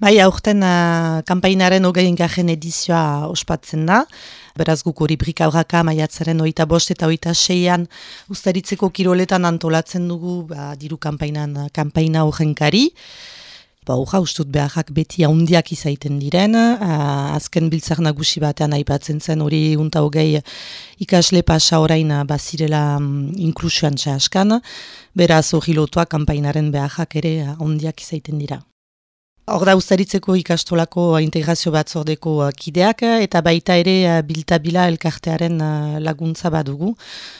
Bai, aurten kanpainaren 20. edizioa ospatzen da. Beraz guk hori brikabraka maiatzaren 25 eta 26an Uztaritzeko kiroletan antolatzen dugu diru kanpaina horrenkari. Ustut beharrak beti handiak izaiten diren, azken biltzar nagusi batean aipatzen zen hori 20 ikasle pasa orain bazirela inklusioan txaskan, beraz hori lotua kanpainaren beharrak ere handiak izaiten dira. Hor da Uztaritzeko ikastolako integrazio batzordeko kideak eta baita ere Biltabila elkartearen laguntza badugu.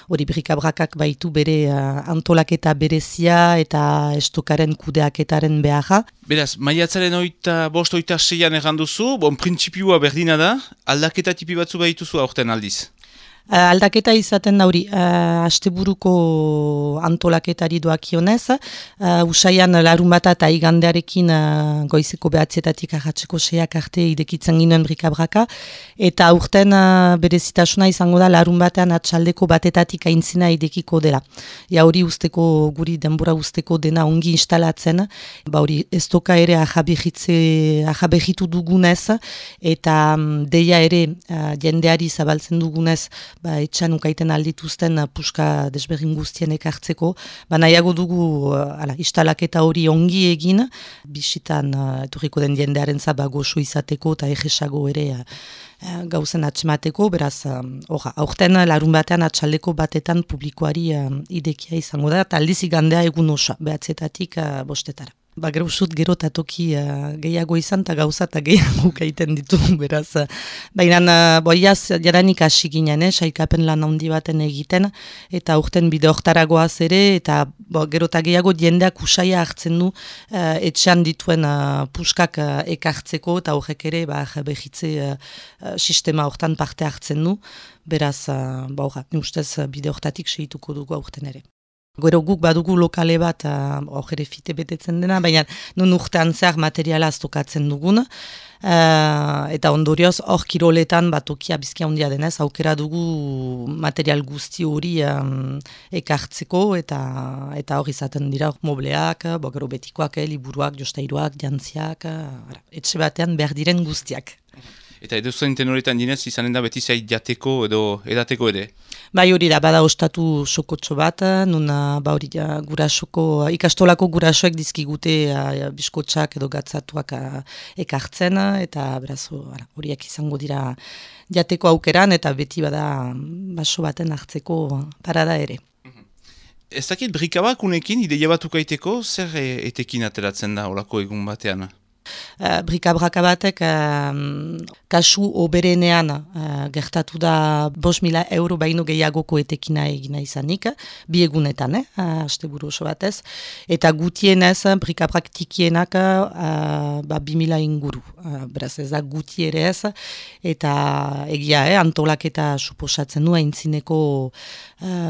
Hori brikabrakak baitu bere antolaketa berezia eta estokaren kudeaketaren beharra. Beraz, maiatzaren 25-26an erranduzu, printzipioa berdina da, aldaketa tipi batzu baituzu aurten aldiz. Aldaketa izaten da hori, asteburuko antolaketari doakionez, usaian larunbata eta igandearekin goizeko 9:00 arratseko 6:00 arte idekitzen ginen brikabraka, eta aurten berezitasuna izango da larunbatean atxaldeko 1:00 aintzina idekiko dela. Hori usteko, guri denbora usteko dena ongi instalatzen, hori ez toka ere ahabehitu dugunez, eta deia ere jendeari zabaltzen dugunez, etxan ukaiten aldituzten puska desberdin guztien ekartzeko, nahiago dugu instalaketa hori ongi egin, bisitan etorriko den jendearen goxo izateko eta egesago ere gauzen atxemateko, beraz, aurten larun batean atxaldeko 1:00 publikoari idekia izango da, eta aldiz igandea egun osa, 9:00 5:00. Gero usut gero eta toki gehiago izan eta gauza eta gehiago gaiten ditugu, beraz. Baina, boiaz, jadanik hasi ginen, sailkapen lan handi baten egiten, eta urten bide hortaragoaz ere, eta gero eta gehiago jendeak usaia hartzen du etxean dituen puskak ekartzeko, eta horrek ere behitze sistema hortan parte hartzen du, beraz, ni ustez bide hortatik segituko dugu aurten ere. Gero guk badugu lokale bat, ere fite betetzen dena, baina nun urtean zehar materiala aztokatzen dugun, eta ondorioz hor kiroletan tokia bizkia handia denez, aukera dugu material guzti hori ekartzeko, eta hor izaten dira mobleak, gero betikoak, liburuak, jostairuak, jantziak, etxe batean behar diren guztiak. Eta edo zuen tenoretan dinez, izanen da beti zait jateko edo edateko ere? Hori da, bada ostatu sokotxo bat, nun hori gurasoko, ikastolako gurasoek dizkigute biskotxak edo gatzatuak ekartzen, eta beraz horiak izango dira jateko aukeran, eta beti bada baso baten hartzeko parada ere. Ez dakit brikabak unekin ideia batukaiteko, zer etekin ateratzen da horako egun batean? Brikabraka batek kasu oberenean gertatu da 5.000 euro baino gehiagoko etekina egina izanik, bi egunetan, asteburu oso batez, eta gutienez brikabrak tikienak 2.000 inguru. Beraz ez da guti ere ez, eta egia antolaketa suposatzen du aintzineko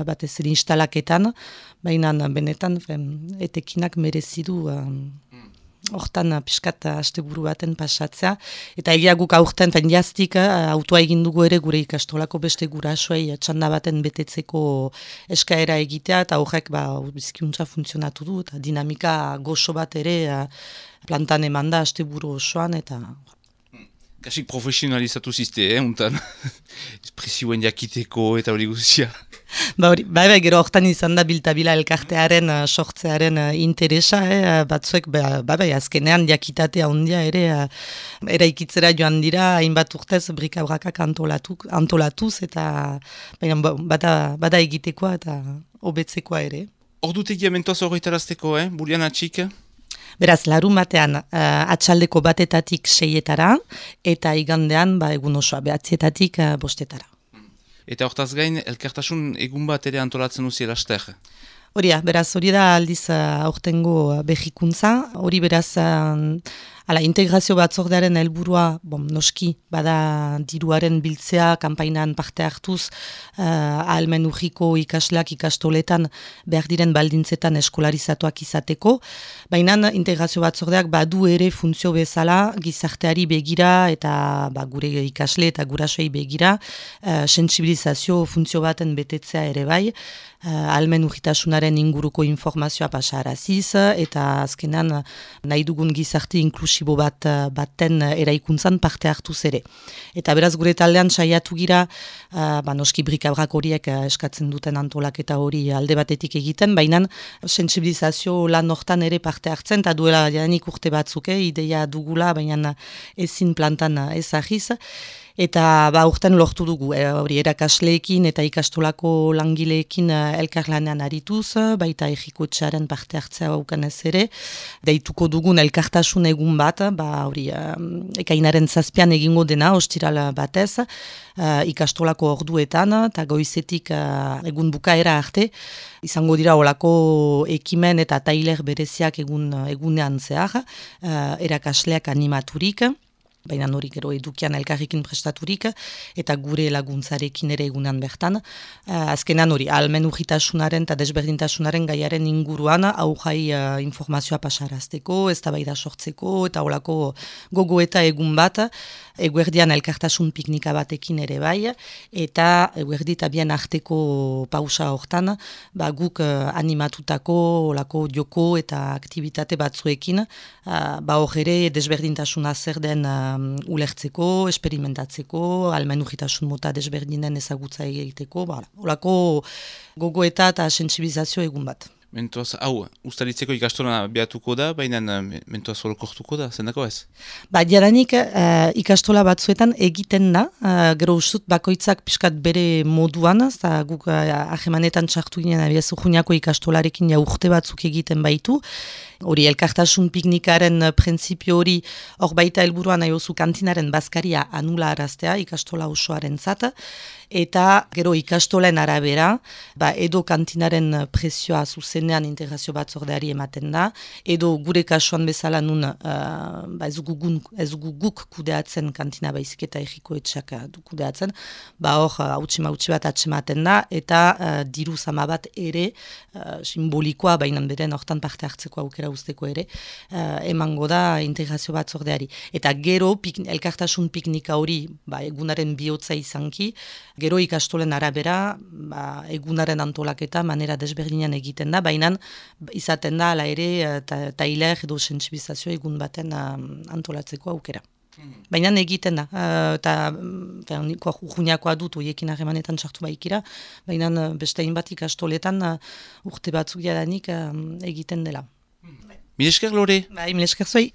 batez ere instalaketan, baina benetan etekinak merezidu hortan piskat asteburu baten pasatzea, eta egia guk aurten jaztik autoa egin dugu ere gure ikastolako beste gurasoei txanda baten betetzeko eskaera egitea, eta horrek bizkiuntza funtzionatu du, eta dinamika goxo bat ere plantan eman da asteburu osoan, eta... Kasik profesionalizatu ziste, untan? Presioen jakiteko eta hori guztia. Bai, gero hortan izan da Biltabila elkartearen sortzearen interesa, batzuek, azkenean jakitatea handia ere eraikitzera joan dira, hainbat urtez brikabrakak antolatuz, eta bada egitekoa eta hobetzekoa ere. Ordutegia mentoaz horretarazteko, Bulian atxik? Beraz, larun batean atxaldeko 1:00 6:00 eta igandean egun osoa 9:00 5:00. Eta hortaz gain, elkartasun egun bat ere antolatzen duzi laster? Beraz, hori da aldiz aurtengo behikuntza. Hori beraz, integrazio batzordearen helburua, noski, bada diruaren biltzea, kanpainan parte hartuz, ahalmen urriko ikasleak ikastoletan behar diren baldintzetan eskolarizatuak izateko. Baina integrazio batzordeak badu ere funtzio bezala, gizarteari begira eta gure ikasle eta gurasoei begira, sentsibilizazio funtzio baten betetzea ere bai, ahalmen urritasunaren inguruko informazioa pasaraziz, eta azkenan nahi dugun gizarte inklusibo inklusibo baten eraikuntzan parte hartuz ere. Eta beraz gure taldean saiatu gira, noski brikabrak horiek eskatzen duten antolaketa hori alde batetik egiten, baina sentsibilizazio lan hortan ere parte hartzen, eta duela jadanik urte batzuk, ideia dugula, baina ezin plantan ezagiz. Eta urten lortu dugu, hori erakasleekin eta ikastolako langileekin elkarlanean arituz, baita egikoetxearen parte hartzea baukanez ere, deituko dugun elkartasun egun bat, hori ekainaren 7 egingo dena, ostiral batez, ikastolako orduetan, eta goizetik egun bukaera arte, izango dira olako ekimen eta tailer bereziak egunean zehar, erakasleak animaturik, baina hori gero edukian elkarrekin prestaturik, eta gure laguntzarekin ere egunean bertan. Azkenan hori, ahalmen urritasunaren eta desberdintasunaren gaiaren inguruan, aujai informazioa pasarazteko, eztabaida sortzeko, eta holako gogo eta egun bat, eguerdian elkartasun piknika batekin ere bai, eta eguerdi eta bien arteko pausa hortan, guk animatutako olako joko eta aktivitate batzuekin, hor ere desberdintasuna zer den ulertzeko, esperimentatzeko, ahalmen urritasun mota desberdinen ezagutza egiteko, olako gogoeta eta sentsibilizazio egun bat. Mentuaz, ustaritzeko ikastola behatuko da, baina mentuaz holokortuko da, zendako ez? Jadanik ikastola batzuetan egiten da, gero ustut bakoitzak pixkat bere moduan, eta guk ahemanetan txartu ginen abiazu juniako ikastolarekin urte batzuk egiten baitu, hori elkartasun piknikaren printzipio hori hor baita helburuan aiozu kantinaren bazkaria anula araztea ikastola osoaren zata, eta gero ikastolen arabera, edo kantinaren presioa zuzenean integrazio batzordeari ematen da, edo gure kasuan bezala nun ez dugu guk kudeatzen kantina baizik eta egikoetxeak du kudeatzen, hor hautsi bat atsematen da, eta diru zama bat ere simbolikoa, baina beren hortan parte hartzeko aukera usteko ere, emango da integrazio batzordeari. Eta gero elkartasun piknika hori egunaren bihotza izanki, gero ikastolen arabera egunaren antolaketa manera desberdinean egiten da, baina izaten da ala ere tailer edo sentsibilizazio egun baten antolatzeko aukera. Baina egiten da, eta juniakoa dut oiekin harremanetan sartu baikira, baina beste hainbat ikastoletan urte batzuk jadanik egiten dela. Mil esker, Lore? Mil esker zuei.